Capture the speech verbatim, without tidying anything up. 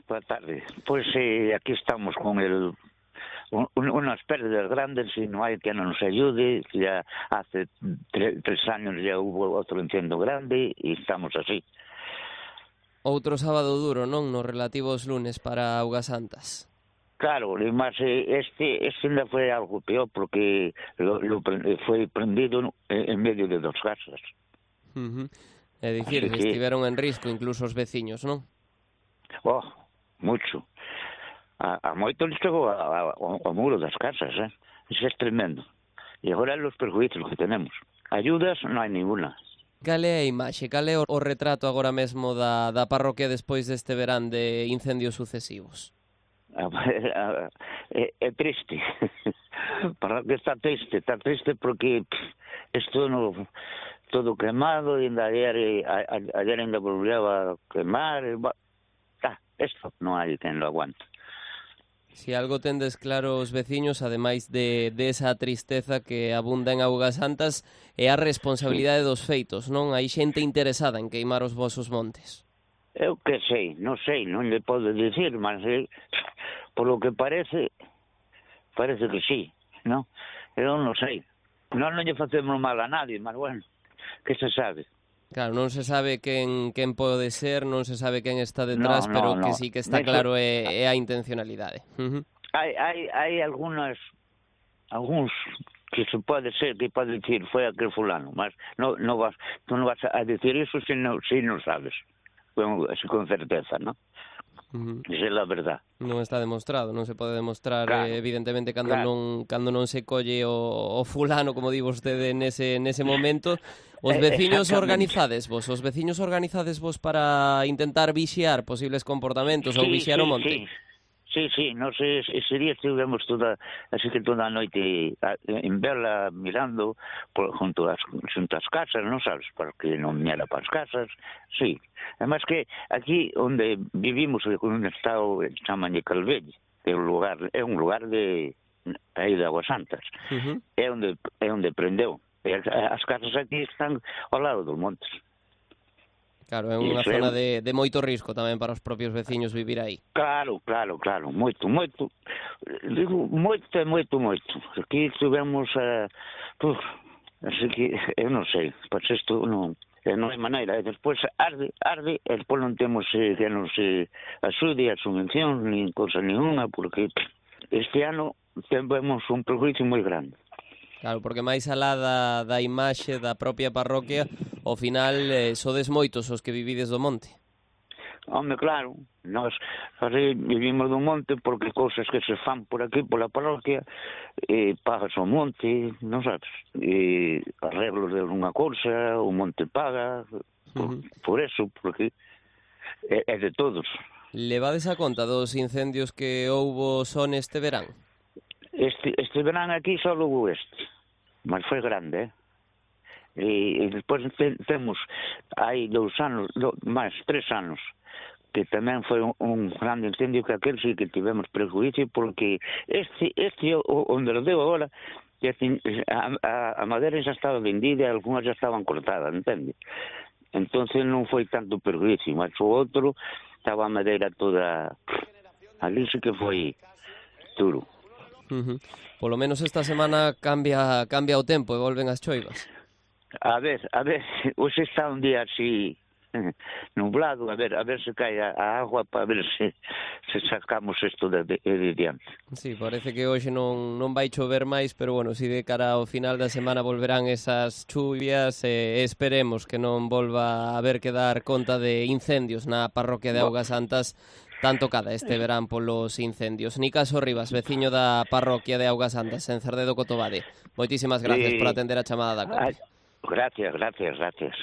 Boa tarde. Pois eh, aquí estamos con el un, unas pérdidas grandes y no hay quien nos ayude. Ya hace tre, tres años ya hubo otro incendio grande y estamos así. Outro sábado duro, non? Nos relativos lunes para Augas Santas. Claro, e máis este, este ainda foi algo peor porque lo, lo, foi prendido en medio de dos casas. Uh -huh. É dicir, que estiveron en risco incluso os veciños, non? Oh, mucho. A, a moito les chegou ao muro das casas, eh? Isso é tremendo. E agora os perjuízos que tenemos. Ayudas non hai ninguna. Cal é a imaxe, cal é o retrato agora mesmo da, da parroquia despois deste verán de incendios sucesivos? É, é triste. Parroquia está triste, está triste porque isto no, todo quemado e ainda ayer, ayer ainda volveu a quemar. Ah, isto non hai quen lo aguante. Si algo tendes claro os veciños, ademais de, de esa tristeza que abunda en Augas Santas, é a responsabilidade sí. dos feitos, non? Hai xente interesada en queimar os vosos montes. Eu que sei, non sei, non lle podo dicir, mas eh, por lo que parece, parece que sí, non? Eu non sei. Non non lle facemos mal a nadie, mas bueno, que se sabe. Claro, non se sabe quen, quen pode ser, non se sabe quen está detrás, no, no, pero no. que sí que está Eso... claro é, é a intencionalidade. Uh -huh. Hai, hai, hai algunas, algúns que se pode ser, que pode dicir, foi aquel fulano, mas no, no vas, tú non vas a decir iso se non, si non sabes, con, con certeza, non? Uh -huh. Esa é a verdad. Non está demostrado, non se pode demostrar, claro, eh, evidentemente, cando, claro. non, cando non se colle o, o fulano, como di vostede, nese, nese momento. Os veciños organizades vos, os veciños organizades vos para intentar vixiar posibles comportamentos, sí, ou vixiar sí, o monte? Sí. Sí, sí, nos ese día estivemos toda, así que toda a noite en vela mirando por, junto ás junto ás casas, non sabes, porque non viñera para as casas, sí. Además que aquí onde vivimos, un estado chaman de Calvell, é un lugar, é un lugar de aí de Augas Santas, uh -huh. é onde é onde prendeu. As casas aquí están ao lado dos montes. Claro, é unha zona de, de moito risco tamén para os propios veciños vivir aí. Claro, claro, claro, moito, moito. Digo, moito e moito, moito. Aquí tivemos a... Uh, así que, eu non sei, pois isto non, non hai maneira. E despois arde, arde, e despois non temos eh, que non se axude a subvención, nin cosa ninguna, porque este ano temos un prejuicio moi grande. Claro, porque máis alá da, da imaxe da propia parroquia, ao final eh, sodes moitos os que vivides do monte. Home, claro, nós vivimos do monte porque cousas que se fan por aquí, pola parroquia, eh, pagas o monte, non sabes, eh, arreglos de unha cousa, o monte paga, por, uh -huh. por eso, porque é, é de todos. Levades a conta dos incendios que houbo son este verán? Este, este verán aquí só houve este, mas foi grande, eh? E, e despois te, temos, hai dous anos, do, máis, tres anos, que tamén foi un, un grande incendio que aquel sí que tivemos prejuízo, porque este, este onde lo deu agora, a, a, a madeira xa estaba vendida e algunhas xa estaban cortadas, entende? Entonces non foi tanto prejuízo, mas o outro estaba a madeira toda, ali sí que foi duro. Uh -huh. Polo menos esta semana cambia cambia o tempo e volven as choivas. A ver, a ver, hoxe está un día así nublado, a ver, a ver se cae a, a agua para ver se, se sacamos isto de, de, de diante. Sí, parece que hoxe non, non vai chover máis, pero bueno, si de cara ao final da semana volverán esas chuvias, e eh, esperemos que non volva a haber que dar conta de incendios na parroquia de Augas Santas, tan tocada este verán polos incendios. Nicaso Rivas, veciño da parroquia de Augas Santas, en Cerdedo, Cotobade. Moitísimas gracias sí. por atender a chamada da COPE. Gracias, gracias, gracias.